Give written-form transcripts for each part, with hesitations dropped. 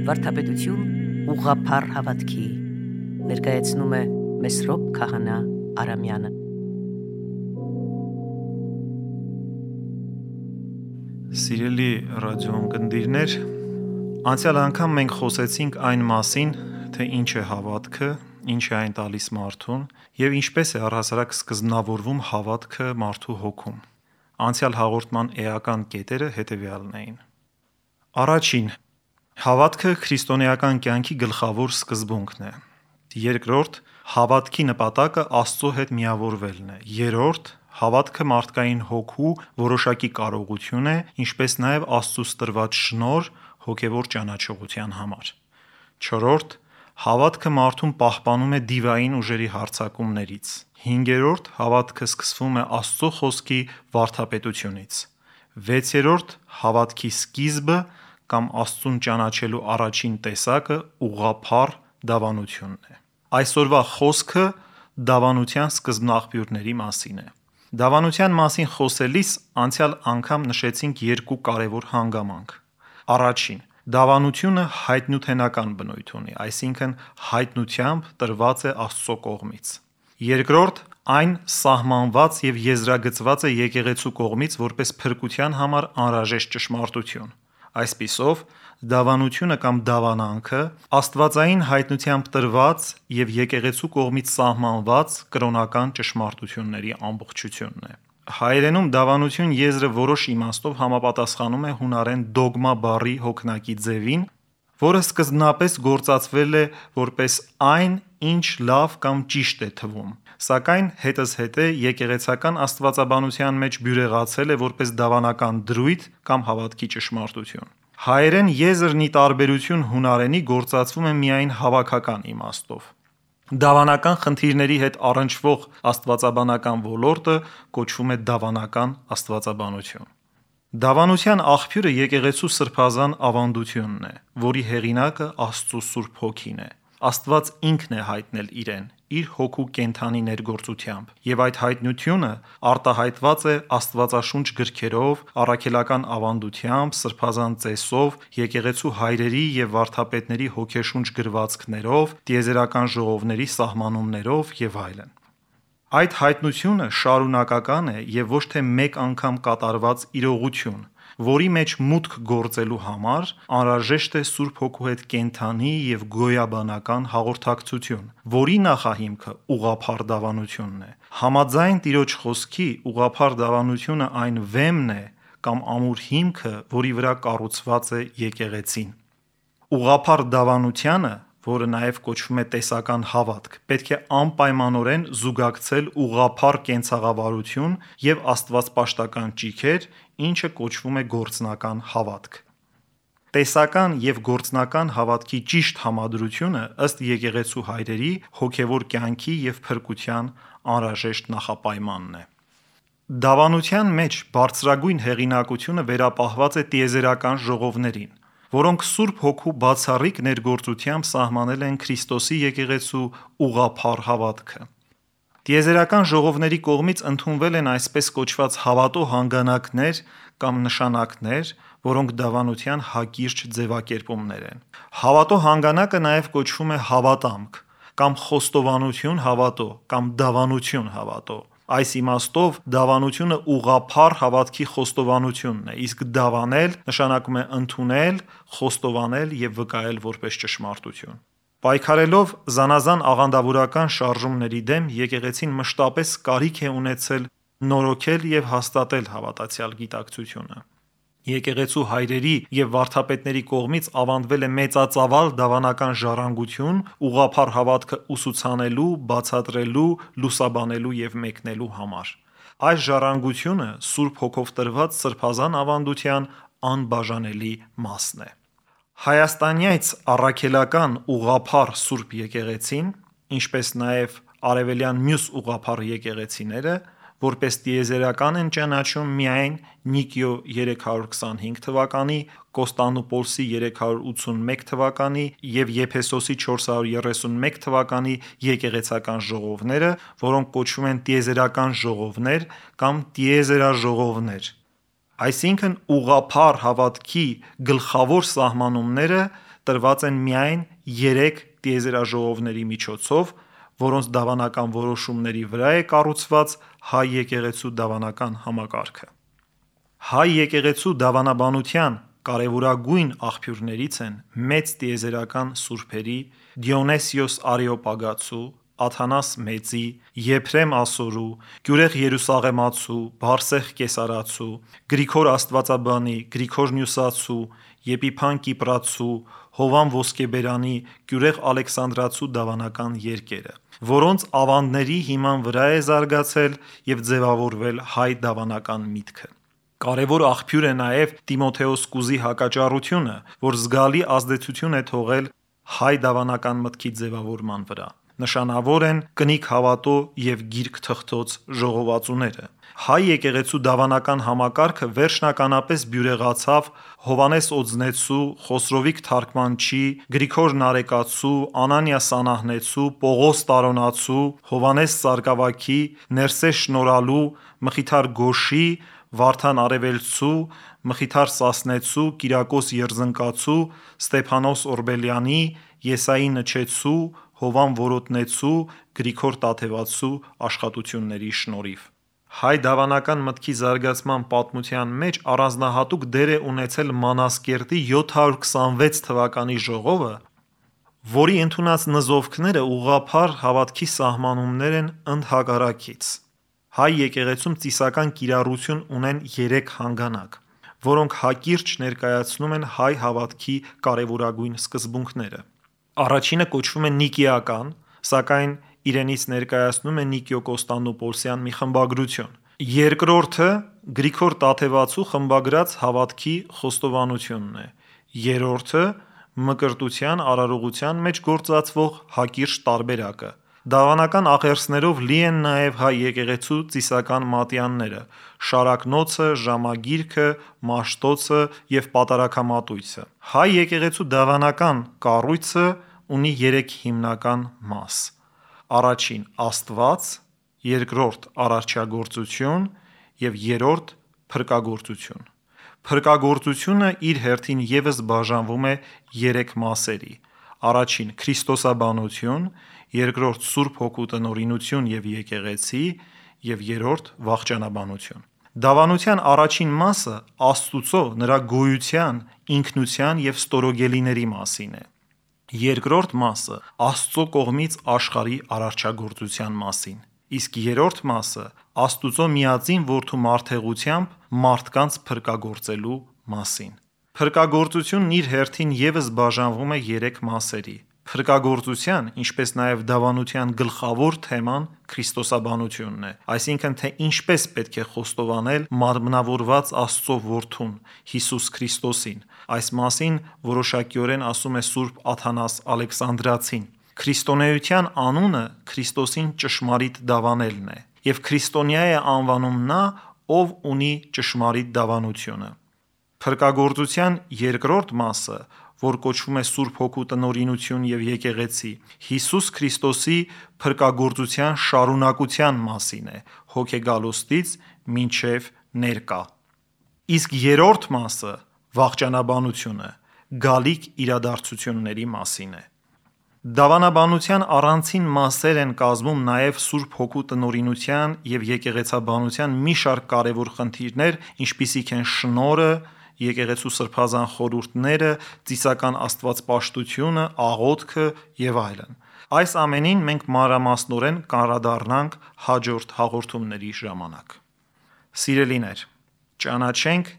Վարդապետություն ուղղափառ հավատքի ներկայացնում է Մեսրոպ Քահանա Արամյանը։ Սիրելի ռադիոընկերներ, անցյալ անգամ մենք խոսեցինք այն մասին, թե ինչ է հավատքը, ինչ է այն տալիս մարդուն եւ ինչպես է առհասարակ սկզբնավորվում հավատքը մարդու հոգում։ Անցյալ հաղորդման էական կետերը հետևյալն էին. Առաջին, հավատքը քրիստոնեական կյանքի գլխավոր սկզբունքն է։ Երկրորդ, հավատքի նպատակը Աստծո հետ միավորվելն է։ Երրորդ, հավատքը մարդկային հոգու որոշակի կարողություն է, ինչպես նաև Աստծուց տրված շնորհ հոգևոր ճանաչողության համար։ Չորրորդ, հավատքը մարդուն պահպանում է դիվային ուժերի հարձակումներից։ Հինգերորդ, հավատքը սկսվում է Աստծո խոսքի վարդապետությունից։ Վեցերորդ, հավատքի սկիզբը կամ Աստծուն ճանաչելու առաջին տեսակը ուղղափառ դավանությունն է։ Այսօրվա խոսքը դավանության սկզբնաղբյուրների մասին է։ Դավանության մասին խոսելիս անցյալ անգամ նշեցինք երկու կարևոր հանգամանք։ Առաջին, դավանությունը հայտնութենական բնույթ ունի, այսինքն հայտնությամբ տրված է Աստծո կողմից։ Երկրորդ, այն սահմանված եւ եզրագծված է եկեղեցու կողմից որպես փրկության համար անհրաժեշտ ճշմարտություն։ Այսպիսով, դավանությունը կամ դավանանքը աստվածային հայտնությամբ տրված եւ եկեղեցու կողմից սահմանված կրոնական ճշմարտությունների ամբողջությունն է։ Հայերենում դավանություն եզրը որոշ իմաստով համապատասխանում է հունարեն դոգմա բառի հոգնակի ձևին, որը սկզբնապես գործածվել է որպես այն, ինչ լավ կամ ճիշտ է թվում, սակայն հետզհետե եկեղեցական աստվածաբանության մեջ բյուրեղացել է որպես դավանական դրույթ կամ հավատքի ճշմարտություն։ Հայերեն եզրն ի տարբերություն հունարենի գործածվում է միայն հավաքական իմաստով։ Դավանական խնդիրների հետ առնչվող աստվածաբանական ոլորտը կոչվում է դավանական աստվածաբանություն։ Դավանության աղբյուրը եկեղեցու սրբազան ավանդությունն է, որի հեղինակը Աստծո Սուրբ Հոգին է։ Աստված ինքն է հայտնել իրեն իր հոգու կենդանի ներգործությամբ, եւ այդ հայտնությունը արտահայտված է աստվածաշունչ գրքերով, առաքելական ավանդությամբ, սրբազան ծեսով, եկեղեցու հայրերի եւ վարդապետների հոգեշունչ գրվածքներով, տիեզերական ժողովների սահմանումներով եւ այլն։ Այդ հայտնությունը շարունակական է եւ ոչ թե մեկ անգամ կատարված իրողություն, որի մեջ մուտք գործելու համար անհրաժեշտ է Սուրբ Հոգու հետ կենդանի եւ գոյաբանական հաղորդակցություն, որի նախահիմքը ուղղափառ դավանությունն է։ Համաձայն Տիրոջ խոսքի ուղղափառ դավանությունը այն վեմն է կամ ամուր հիմքը, որի վրա կառուցված է եկեղեցին։ Ուղղափառ դավանությանը, որը նաև կոչվում է տեսական հավատք, պետք է անպայմանորեն զուգակցել ուղղափառ կենցաղավարություն եւ աստվածպաշտական ճիգեր, ինչը կոչվում է գործնական հավատք։ Տեսական եւ գործնական հավատքի ճիշտ համադրությունը ըստ եկեղեցու հայրերի հոգևոր կյանքի եւ փրկության անհրաժեշտ նախապայմանն է։ Դավանության մեջ բարձրագույն հեղինակությունը վերապահված է տիեզերական ժողովներին, որոնք Սուրբ Հոգու բացառիկ ներգործությամբ սահմանել են Քրիստոսի եկեղեցու ուղղափառ հավատքը։ Տիեզերական ժողովների կողմից ընդունվել են այսպես կոչված հավատո հանգանակներ կամ նշանակներ, որոնք դավանության հակիրճ ձևակերպումներ են։ Հավատո հանգանակը նաև կոչվում է հավատամք կամ խոստովանություն հավատո կամ դավանություն հավատո։ Այս իմաստով դավանությունը ուղղափառ հավատքի խոստովանությունն է, իսկ դավանել նշանակում է ընդունել, խոստովանել եւ վկայել որպես ճշմարտություն։ Պայքարելով զանազան աղանդավորական շարժումների դեմ, եկեղեցին մշտապես կարիք է ունեցել նորոգել եւ հաստատել հավատացյալ գիտակցությունը։ Եկեղեցու հայրերի եւ վարդապետների կողմից ավանդվել է մեծածավալ դավանական ժառանգություն ուղղափառ հավատքը ուսուցանելու, բացատրելու, լուսաբանելու եւ մեկնելու համար։ Այս ժառանգությունը Սուրբ Հոգով տրված սրբազան ավանդության անբաժանելի մասն է։ Հայաստանյաց առաքելական ուղղափառ Սուրբ եկեղեցին, ինչպես նաև արևելյան մյուս ուղղափառ եկեղեցիները, որպես տիեզերական են ճանաչում միայն Նիկիո 325 թվականի, Կոստանդնուպոլսի 381 թվականի եւ Եփեսոսի 431 թվականի եկեղեցական ժողովները, որոնք կոչվում են տիեզերական ժողովներ կամ տիեզերաժողովներ։ Այսինքն ուղղափառ հավատքի գլխավոր սահմանումները տրված են միայն 3 տիեզերաժողովների միջոցով, որոնց դավանական որոշումների վրա է կառուցված հայ եկեղեցու դավանական համակարգը։ Հայ եկեղեցու դավանաբանության կարևորագույն աղբյուրներից են մեծ տիեզերական սուրբերի Դիոնեսիոս Արեոպագացու, Աթանաս Մեծի, Եփրեմ Ասորու, Գյուրեղ Երուսաղեմացու, Բարսեղ Կեսարացու, Գրիգոր Աստվածաբանի, Գրիգոր Նյուսացու, Եփիփան Կիպրացու, Հովան Ոսկեբերանի, Գյուրեղ Ալեքսանդրացու դավանական երկերը, որոնց ավանդների հիման վրա է զարգացել և ձևավորվել հայ դավանական միտքը։ Կարևոր աղբյուր է նաև Տիմոթեոս Կուզի հակաճառությունը, որ զգալի ազդեցություն է թողել հայ դավանական մտքի ձևավորման վրա։ Նշանավոր են կնիկ հավատո և գիրք թղթոց ժողովածուները։ Հայ եկեղեցու դավանական համակարգը վերջնականապես բյուրեղացավ Հովանես Օձնեցու, Խոսրովիկ Թարգմանչի, Գրիգոր Նարեկացու, Անանիա Սանահնեցու, Պողոս Տարոնացու, Հովանես Սարգսակի, Ներսես Շնորհալու, Մխիթար Գոշի, Վարդան Արևելցու, Մխիթար Սասնեցու, Կիրակոս Երզնկացու, Ստեփանոս Օրբելյանի, Եսայի Նչեցու, Հովան Որոտնեցու, Գրիգոր Տաթևացու աշխատությունների շնորհիվ։ Հայ դավանական մտքի զարգացման պատմության մեջ առանձնահատուկ դեր է ունեցել Մանասկերտի 726 թվականի ժողովը, որի ընդունած նզովքները ուղղափառ հավատքի սահմանումներ են ընդհակառակից։ Հայ եկեղեցում ծիսական կիրառություն ունեն 3 հանգանակ, որոնք հակիրճ ներկայացնում են հայ հավատքի կարևորագույն սկզբունքները։ Առաջինը կոչվում է Նիկեական, սակայն իրենից ներկայացնում է Նիկեո-Կոստանդնուպոլսյան մի խմբագրություն։ Երկրորդը Գրիգոր Տաթևացու խմբագրած հավատքի խոստովանությունն է։ Երրորդը մկրտության արարողության մեջ գործածվող հակիրճ տարբերակը։ Դավանական աղերսներով լի են նաև հայ եկեղեցու ծիսական մատյանները՝ շարակնոցը, ժամագիրքը, մաշտոցը և պատարագամատույցը։ Հայ եկեղեցու դավանական կառույցը ունի 3 հիմնական մաս. առաջին Աստված, երկրորդ արարչագործություն և երրորդ փրկագործություն։ Փրկագործությունը իր հերթին ևս բաժանվում է 3 մասերի. առաջին Քրիստոսաբանություն, երկրորդ Սուրբ Հոգու տնօրինություն և եկեղեցի և երրորդ վախճանաբանություն։ Դավանության առաջին մասը Աստծո, նրա գոյության, ինքնության և ստորոգելիների մասին է։ Երկրորդ մասը Աստծո կողմից աշխարհի արարչագործության մասին, իսկ երրորդ մասը Աստծո միածին Որդու մարդեղությամբ մարդկանց փրկագործելու մասին։ Փրկագործությունն իր հերթին ևս բաժանվում է 3 մասերի։ Փրկագործության, ինչպես նաև դավանության գլխավոր թեման Քրիստոսաբանությունն է, այսինքն թե ինչպես պետք է խոստովանել մարմնավորված Աստծո Որդուն՝ Հիսուս Քրիստոսին։ Այս մասին որոշակիորեն ասում է Սուրբ Աթանաս Ալեքսանդրացին։ Քրիստոնեության անունը Քրիստոսին ճշմարիտ դավանելն է, և քրիստոնյա է անվանում նա, ով ունի ճշմարիտ դավանությունը։ Փրկագործության երկրորդ մասը, որ կոչվում է Սուրբ Հոգու տնօրինություն և եկեղեցի, Հիսուս Քրիստոսի փրկագործության շարունակության մասին է՝ հոգեգալուստից մինչև ներկա։ Իսկ երրորդ մասը՝ վախճանաբանությունը, գալիք իրադարձությունների մասին է։ Դավանաբանության առանցին մասեր են կազմում նաև Սուրբ Հոգու տնօրինության և եկեղեցաբանության մի շարք կարևոր խնդիրներ, ինչպիսիք են շնորհը, եկեղեցու սրբազան խորհուրդները, ծիսական աստվածպաշտությունը, աղոթքը և այլն։ Այս ամենին մենք մանրամասնորեն կանդրադառնանք հաջորդ հաղորդումների ժամանակ։ Սիրելիներ, ճանաչենք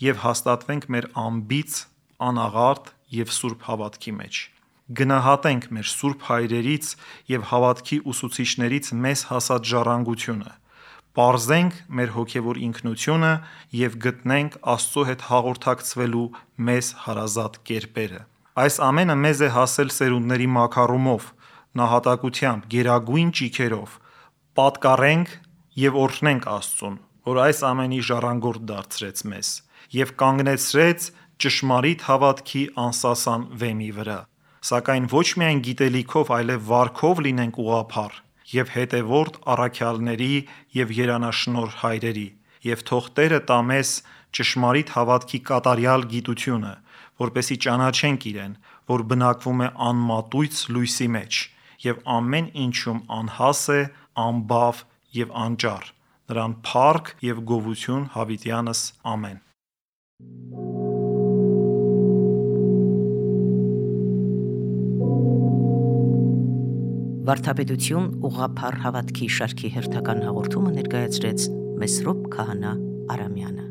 և հաստատվենք մեր անբիծ, անաղարտ և սուրբ հավատքի մեջ։ Գնահատենք մեր սուրբ հայրերից և հավատքի ուսուցիչներից մեզ հասած ժառանգությունը, պարզենք մեր հոգևոր ինքնությունը և գտնենք Աստծո հետ հաղորդակցվելու մեզ հարազատ կերպերը։ Այս ամենը մեզ է հասել սերունդների մաքարումով, նահատակությամբ, գերագույն ճիգերով։ Պատկառենք և օրհնենք Աստծուն, որ այս ամենի ժառանգորդ դարձրեց մեզ և կանգնեցրեց ճշմարիտ հավատքի անսասան վեմի վրա։ Սակայն ոչ միայն գիտելիքով, այլև վարքով լինենք ուղղափառ և հետևորդ առաքյալների և երանաշնորհ հայրերի, և թող Տերը տա մեզ ճշմարիտ հավատքի կատարյալ գիտությունը, որպեսզի ճանաչենք Իրեն, որ բնակվում է անմատույց լույսի մեջ եւ ամեն ինչում անհաս է, անբավ եւ անճառ։ Նրան փառք եւ գովություն հավիտյանս ամեն։ Վարդապետություն ուղղափառ հավատքի շարքի հերթական հաղորդումը ներկայացրեց Մեսրոպ Քահանա Արամյանը։